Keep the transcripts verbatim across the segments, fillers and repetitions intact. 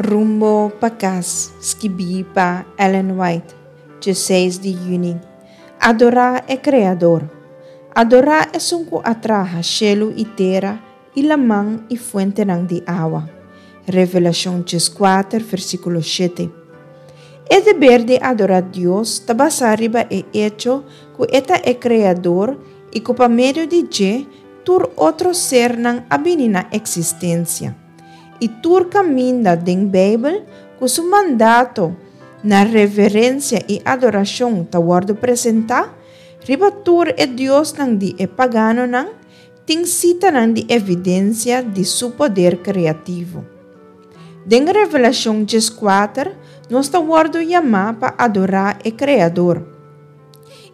Rumbo pa Kas, skibí pa Ellen White, diesseis di yüni. Adorá e Kreador. Adorá esun ku a traha shelu i tera i laman i fuentenan di awa. Revelashon dieskuater, versíkulo shete. E deber di adorá Dios ta basá riba e echo ku e ta e Kreador i ku pa medio di dje tur otro sernan a bini na eksistensia. I tur kaminda den Beibel ku su mandato na reverensia i adorashon ta wòrdu presentá, riba tur e diosnan di e paganonan, tin sitanan di evidensia di su poder kreativo. Den Revelashon dieskuater, nos ta wòrdu yamá pa adorá e Kreador.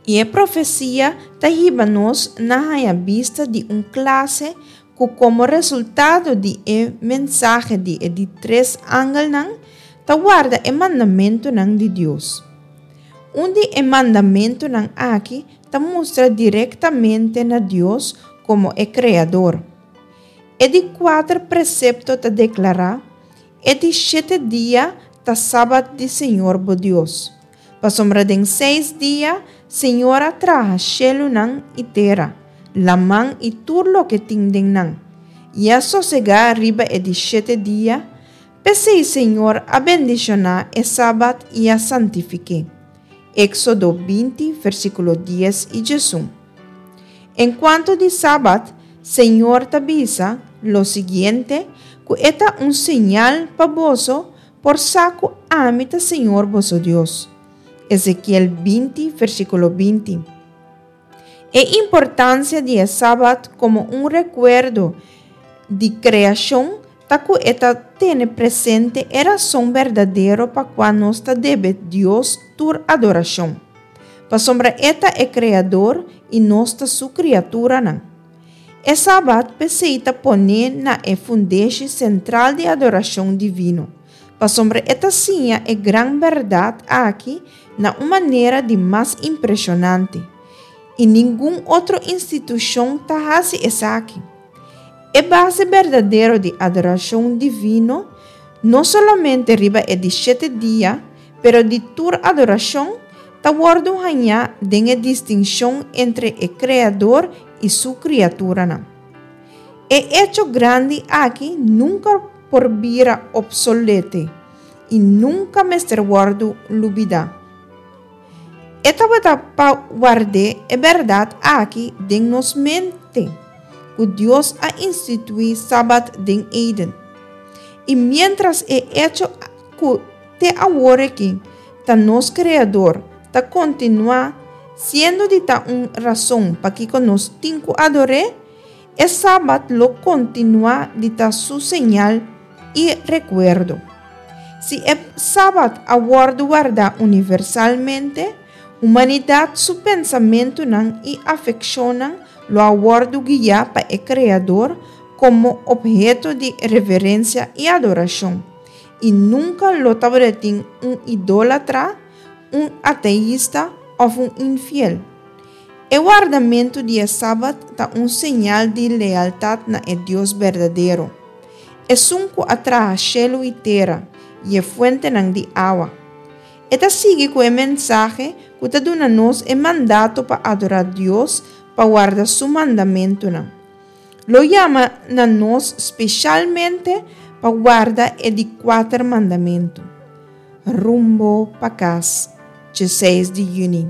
I e profesia ta hiba nos na haña bista di un klase ku komo resultado di e mensahe di e di tres angelnan ta warda e mandamentunan di Dios. Un di e mandamentunan aki ta mustra direktamente na Dios komo e Kreador. E di kuater presepto ta deklará, E di shete dia ta sabat di Señor bo Dios. Pasobra den seis dia Señor a traha shelunan i tera, laman i tur loke tin den nan, i a sosegá riba e di shete dia, p'esei Señor a bendishoná e sabat i a santifik'é. Éksodo binti, versíkulo dies i diesun. Enkuanto di sabat, Señor ta bisa lo siguiente, ku e ta un señal pa boso por sa ku ami ta Señor boso Dios. Ezekiel binti, versíkulo binti. E importansia di e sabat komo un rekuerdo di kreashon ta ku e ta tene presente e rason berdadero pa kua nos ta debe Dios tur adorashon. Pasobra e ta e Kreador i nos ta su kriaturanan. E sabat p'esei ta pone na e fundeshi sentral di adorashon divino, pasobra e ta siña e gran bèrdat aki na un manera di mas impreshonante, i ningun otro institushon ta hasi esaki. E base berdadero di adorashon divino, no solamente riba e di shete dia, pero di tur adorashon, ta wòrdu hañá den e distinshon entre e Kreador i su kriaturanan. E echo grandi aki nunka por bira opsolete i nunka mester wòrdu lubidá. E tabata pa ward'é e bèrdat aki den nos mente, ku Dios a instituí Sabat den Eden. I miéntras e echo ku te awor aki ta nos Kreador ta kontinuá siendo di ta un rason pakiko nos tin ku ador'é, e Sabat lo kontinuá di ta su señal i rekuerdo. Si e Sabat a wòrdu wardá universalmente, humanidat su pensamentunan i afekshonnan lo a wòrdu guiá pa e Kreador komo opheto di reverensia i adorashon, i nunka lo tabatin un idólatra, un ateista òf un infiel. E wardamentu di e Sabat ta un señal di lealtat na e Dios berdadero, esun ku a traha shelu i tera i e fuentenan di awa. E ta sigui ku e mensahe ku ta duna nos e mandato pa adorá Dios pa warda su mandamentunan. Lo yama na nos spesialmente pa warda e di kuater mandamentu. Rumbo pa Kas, diesseis di yüni.